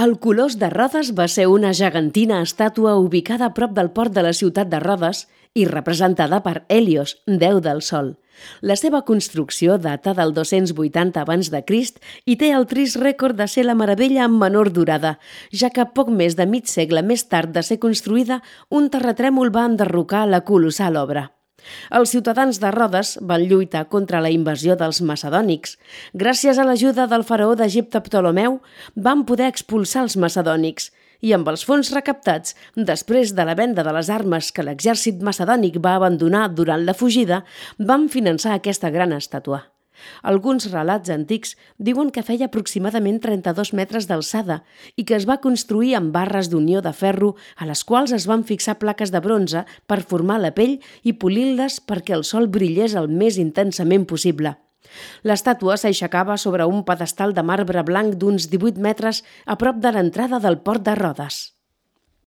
El Colós de Rodes va ser una gegantina estàtua ubicada a prop del port de la ciutat de Rodes i representada per Hèlios, déu del sol. La seva construcció data del 280 abans de Crist i té el trist rècord de ser la meravella amb menor durada, ja que poc més de mig segle més tard de ser construïda, un terratrèmol va enderrocar la colossal obra. Els ciutadans de Rodes van lluitar contra la invasió dels macedònics. Gràcies a l'ajuda del faraó d'Egipte Ptolemeu, van poder expulsar els macedònics i amb els fons recaptats, després de la venda de les armes que l'exèrcit macedònic va abandonar durant la fugida, van finançar aquesta gran estàtua. Alguns relats antics diuen que feia aproximadament 32 metres d'alçada i que es va construir amb barres d'unió de ferro a les quals es van fixar plaques de bronze per formar la pell i polir-les perquè el sol brillés el més intensament possible. L'estàtua s'aixecava sobre un pedestal de marbre blanc d'uns 18 metres a prop de l'entrada del port de Rodes.